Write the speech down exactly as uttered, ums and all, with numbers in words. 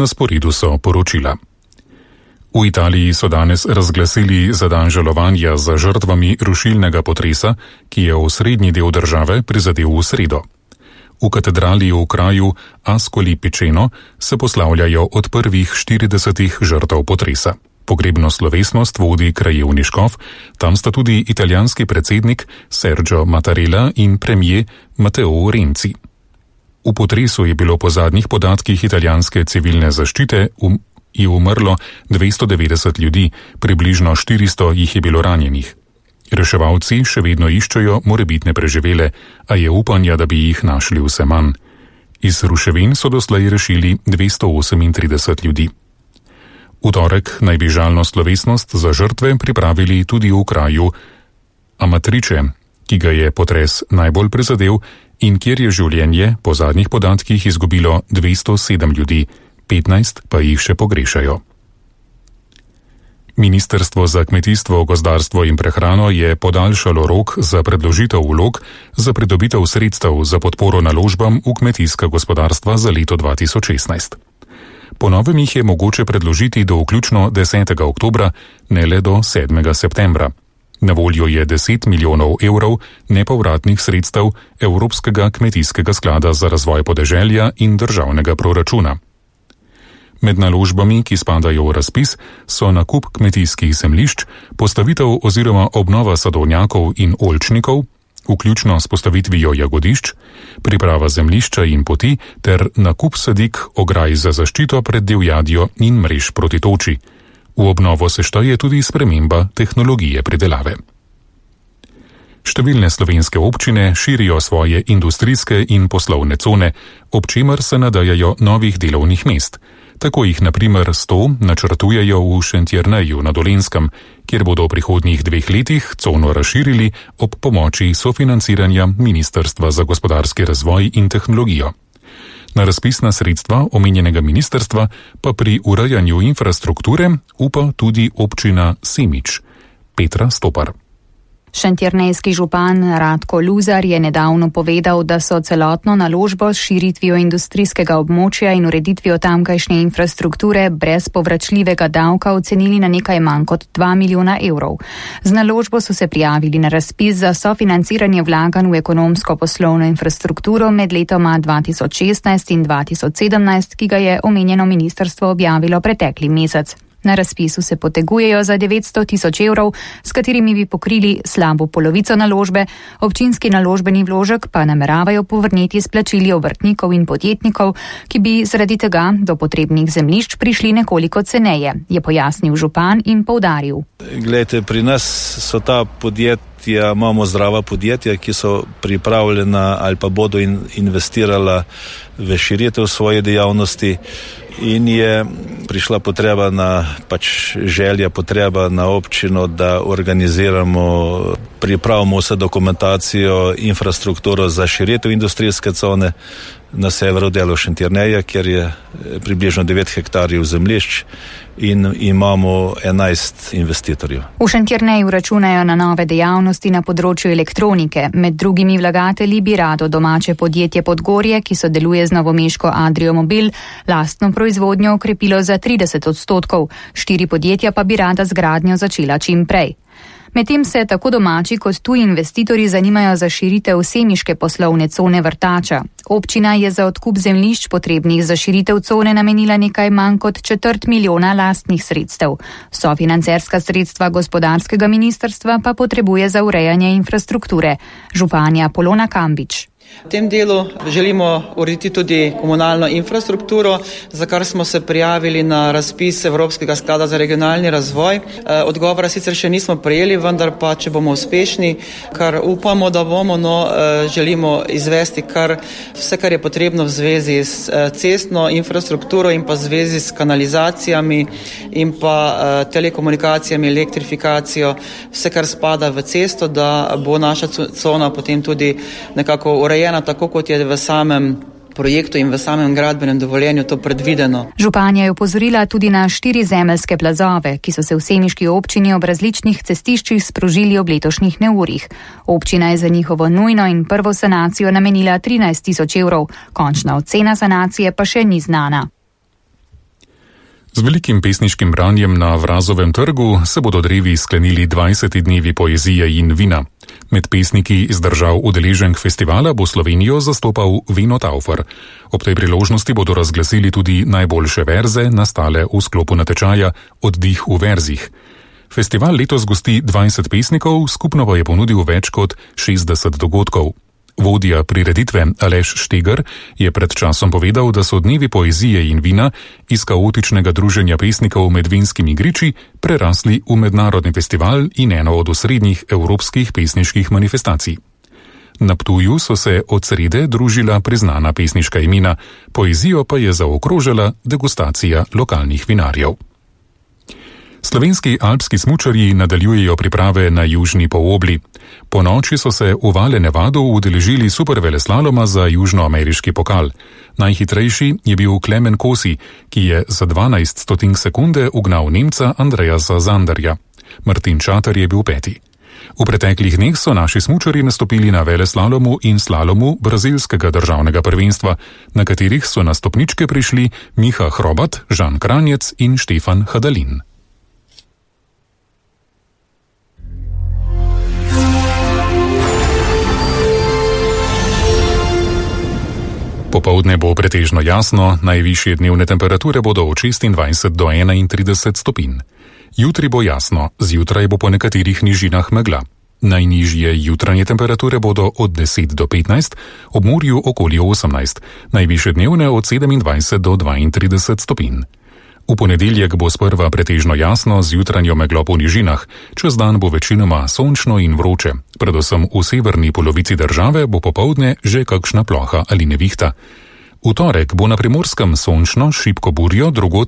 Na sporedu so poročila. V Italiji so danes razglasili za dan žalovanja za žrtvami rušilnega potresa, ki je osrednji del države prizadel v sredo. V katedrali v kraju Ascoli Piceno se poslavljajo od prvih štiridesetih žrtev potresa. Pogrebno slovesnost vodi krajevni škof, tam sta tudi italijanski predsednik Sergio Mattarella in premijer Matteo Renzi. V potresu je bilo po zadnjih podatkih italijanske civilne zaščite um, je umrlo dvesto devetdeset ljudi, približno štiristo jih je bilo ranjenih. Reševalci še vedno iščejo morebitne preživele, a je upanja, da bi jih našli vse manj. Iz ruševin so doslej rešili dvesto osemintrideset ljudi. V torek naj bi žalno slovesnost za žrtve pripravili tudi v kraju Amatrice, ki ga je potres najbolj prizadel in kjer je življenje po zadnjih podatkih izgubilo dvesto sedem ljudi, petnajst pa jih še pogrešajo. Ministrstvo za kmetijstvo, gozdarstvo in prehrano je podaljšalo rok za predložitev vlog za pridobitev sredstev za podporo naložbam v kmetijska gospodarstva za leto dva tisoč šestnajst. Po novem jih je mogoče predložiti do vključno desetega oktobra, ne le do sedmega septembra. Na voljo je deset milijonov evrov nepovratnih sredstev Evropskega kmetijskega sklada za razvoj podeželja in državnega proračuna. Med naložbami, ki spadajo v razpis, so nakup kmetijskih zemljišč, postavitev oziroma obnova sadovnjakov in oljčnikov, vključno s postavitvijo jagodišč, priprava zemljišča in poti ter nakup sadik, ograj za zaščito pred divjadjo in mrež proti toči. V obnovo se šteje tudi sprememba tehnologije pridelave. Številne slovenske občine širijo svoje industrijske in poslovne cone, ob čemer se nadajajo novih delovnih mest. Tako jih na primer sto načrtujejo v Šentjerneju na Dolenjskem, kjer bodo v prihodnjih dveh letih cono razširili ob pomoči sofinanciranja Ministrstva za gospodarski razvoj in tehnologijo. Na razpisna sredstva omenjenega ministrstva pa pri urejanju infrastrukture upa tudi občina Semič. Petra Stopar. Šentjernejski župan Radko Luzar je nedavno povedal, da so celotno naložbo s širitvijo industrijskega območja in ureditvijo tamkajšnje infrastrukture brez povračljivega davka ocenili na nekaj manj kot dva milijona evrov. Z naložbo so se prijavili na razpis za sofinanciranje vlaganj v ekonomsko poslovno infrastrukturo med letoma dva tisoč šestnajst in dva tisoč sedemnajst, ki ga je omenjeno ministrstvo objavilo pretekli mesec. Na razpisu se potegujejo za devetsto tisoč evrov, s katerimi bi pokrili slabo polovico naložbe, občinski naložbeni vložek pa nameravajo povrniti s plačili obrtnikov in podjetnikov, ki bi zaradi tega do potrebnih zemljišč prišli nekoliko ceneje, je pojasnil župan in poudaril. Glejte, pri nas so ta podjetja, imamo zdrava podjetja, ki so pripravljena ali pa bodo in investirala v širitev svoje dejavnosti. In je prišla potreba na, pač želja potreba na občino, da organiziramo, pripravimo vse dokumentacijo, infrastrukturo za širitev industrijske cone na severu delu Šentjerneja, kjer je približno devet hektarjev zemljišč in imamo enajst investitorjev. V Šentjerneju računajo na nove dejavnosti na področju elektronike. Med drugimi vlagatelji bi rado domače podjetje Podgorje, ki sodeluje z novomeško Adrio Mobil, lastno proizvodnjo okrepilo za trideset odstotkov. Štiri podjetja pa bi rada z gradnjo začela čim prej. Medtem se tako domači kot tuji investitorji zanimajo za širitev semiške poslovne cone Vrtača. Občina je za odkup zemljišč potrebnih za širitev cone namenila nekaj manj kot četrt milijona lastnih sredstev. Sofinancerska sredstva gospodarskega ministrstva pa potrebuje za urejanje infrastrukture. Županja Polona Kambič. V tem delu želimo urediti tudi komunalno infrastrukturo, za kar smo se prijavili na razpis Evropskega sklada za regionalni razvoj. Odgovora sicer še nismo prejeli, vendar pa, če bomo uspešni, kar upamo, da bomo, no, želimo izvesti kar vse, kar je potrebno v zvezi s cestno infrastrukturo in pa v zvezi s kanalizacijami in pa telekomunikacijami, elektrifikacijo, vse, kar spada v cesto, da bo naša cona potem tudi nekako urejena. Tako kot je v samem projektu in v samem gradbenem dovoljenju to predvideno. Županja je opozorila tudi na štiri zemeljske plazove, ki so se v semiški občini ob različnih cestiščih sprožili ob letošnjih neurjih. Občina je za njihovo nujno in prvo sanacijo namenila trinajst tisoč evrov, končna ocena sanacije pa še ni znana. Z velikim pesniškim branjem na Vrazovem trgu se bodo drevi sklenili dvajseti dnevi poezije in vina. Med pesniki iz držav udeleženk festivala bo Slovenijo zastopal Vino Taufer. Ob tej priložnosti bodo razglasili tudi najboljše verze, nastale v sklopu natečaja Oddih v verzih. Festival letos gosti dvajset pesnikov, skupno pa je ponudil več kot šestdeset dogodkov. Vodja prireditve Aleš Štegar je pred časom povedal, da so dnevi poezije in vina iz kaotičnega druženja pesnikov med vinskimi griči prerasli v mednarodni festival in eno od osrednjih evropskih pesniških manifestacij. Na Ptuju so se od srede družila priznana pesniška imena, poezijo pa je zaokrožala degustacija lokalnih vinarjev. Slovenski alpski smučarji nadaljujejo priprave na južni polobli. Po noči so se v Vale Nevado udeležili superveleslaloma za južnoameriški pokal. Najhitrejši je bil Klemen Kosi, ki je za dvanajst stotink sekunde ugnal Nemca Andreasa Zanderja. Martin Čater je bil peti. V preteklih dneh so naši smučarji nastopili na veleslalomu in slalomu brazilskega državnega prvenstva, na katerih so na stopničke prišli Miha Hrobat, Žan Kranjec in Štefan Hadalin. Popoldne bo pretežno jasno, najvišje dnevne temperature bodo od šestindvajset do enaintrideset stopinj. Jutri bo jasno, zjutraj bo po nekaterih nižinah megla. Najnižje jutranje temperature bodo od deset do petnajst, ob morju okoli osemnajst, najvišje dnevne od sedemindvajset do dvaintrideset stopinj. V ponedeljek bo sprva pretežno jasno z jutranjo meglo po nižinah, čez dan bo večinoma sončno in vroče. Predvsem v severni polovici države bo popoldne že kakšna ploha ali nevihta. V torek bo na Primorskem sončno, šibko burjo, drugod